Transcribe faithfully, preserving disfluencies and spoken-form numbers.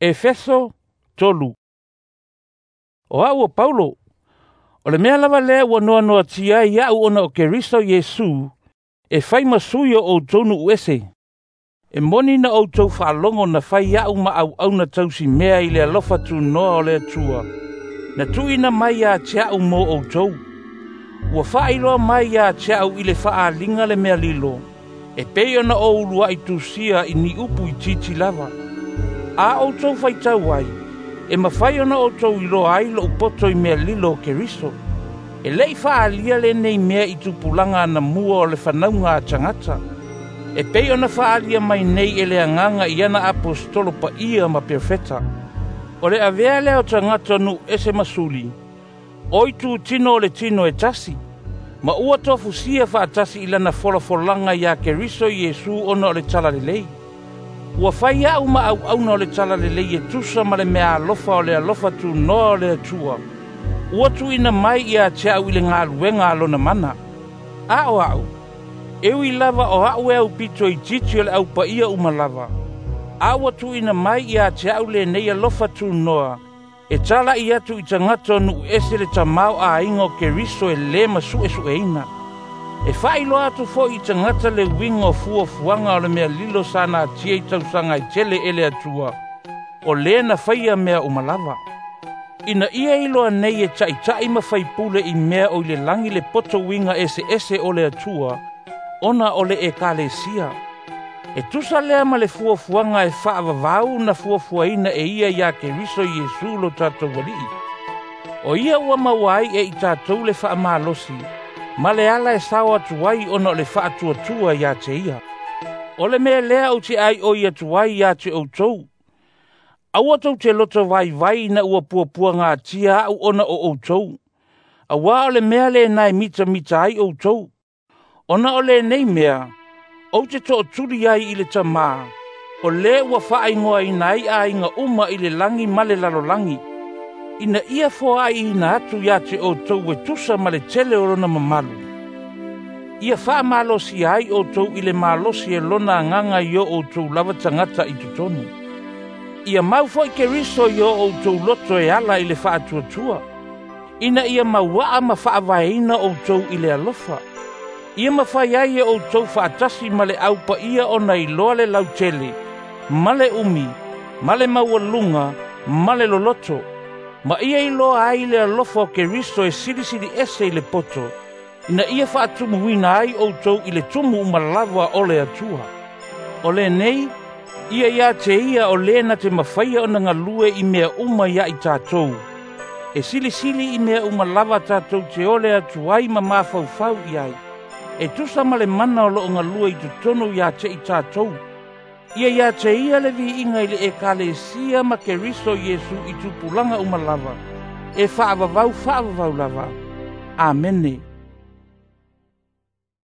Efeso tolu. O a'u o Paulo, o le mea lava lea ua noanoatia ai a'u ona o Keriso Iesu e fai ma sui o ʻoutou nu'u ese. E moni na outou faalogo na fai a'u ma auauna tausimea i le alofa tunoa o le Atua na tuuina mai ia te a'u mo ʻoutou. Ua faailoa mai ia te a'u i le faaaliga le mea lilo, e pei ona ou ulua'i tusia i ni upu itiiti lava. A outou faitau ai, e mafai ona outou iloa ai lo'u poto i mea lilo o Keriso. E lei faaalia lenei mea i tupulaga anamua o le fanauga a tagata, e pei ona faaalia mai nei e le Agaga i ana aposetolo paia ma perofeta. O le avea lea o tagata o nu'u ese ma suli, o itutino o le tino e tasi, ma ua tofusia faatasi i lana folafolaga iā Keriso Iesu ona o le Talalelei. Ua fai a'u ma auauna o le Talalelei e tusa ma le meaalofa o le alofa tunoa o le Atua ua tuuina mai ia te a'u i le galuega a lona mana. A o a'u, e ui lava o a'u e aupito itiiti o le aupaia uma lava, a ua tuuina mai ia te a'u lenei alofa tunoa e tala'i atu i tagata o nu'u ese le tamaoaiga o Keriso e lē masu'esu'eina. E faailoa atu fo'i i tagata le uiga o fuafuaga o le mea lilo sa natia i tausaga e tele e le Atua, o lē na faia mea uma lava. Ina ia iloa nei e ta'ita'i ma faipule i mea o i le lagi le poto uiga eseese o le Atua, ona o le ʻEkalesia. E tusa lea ma le fuafuaga e faavavau na fuafuaina e ia iā Keriso Iesu lo tatou Ali'i. O ia ua maua ai e i tatou le faamalosi, ma le ala e sao atu ai ona o le faatuatua iā te ia. O le mea lea ou te ʻaiʻoi atu ai iā te ʻoutou, aua tou te loto vaivai ina ua puapuagatia a'u ona o ʻoutou, auā o le mea lena e mitamita ai ʻoutou. Ona o lenei mea, ou te to'otuli ai i le Tamā, o lē ua faaigoaina ai aiga uma i le lagi ma le lalolagi, ina ia foa'iina atu iā te ʻoutou e tusa ma le tele o lona mamalu. Ia faamalosia ai ʻoutou i le malosi e lona Agaga i o ʻoutou lava tagata i totonu. Ia mau fo'i Keriso i o ʻoutou loto e ala i le faatuatua, ina ia maua'a ma faavaeina ʻoutou i le alofa. Ia mafai ai e ʻoutou faatasi ma le aupaia ona iloa le lautele, ma le umi, ma le maualuga, ma le loloto, ma ia iloa ai le alofa o Keriso e silisili ese i le poto, ina ia faatumuina ai ʻoutou i le tumu uma lava o le Atua. O lenei, ia iā te ia o lē na te mafaia ona galue i mea uma ia i tatou, e silisili i mea uma lava tatou te ole atu ai ma mafaufau i ai, e tusa ma le mana o lo'o galue i totonu iā te i tatou. Ia iā te ia le viiga i le ʻEkalesia ma Keriso Iesu i tupulaga uma lava, e faavavau faavavau lava. Amene.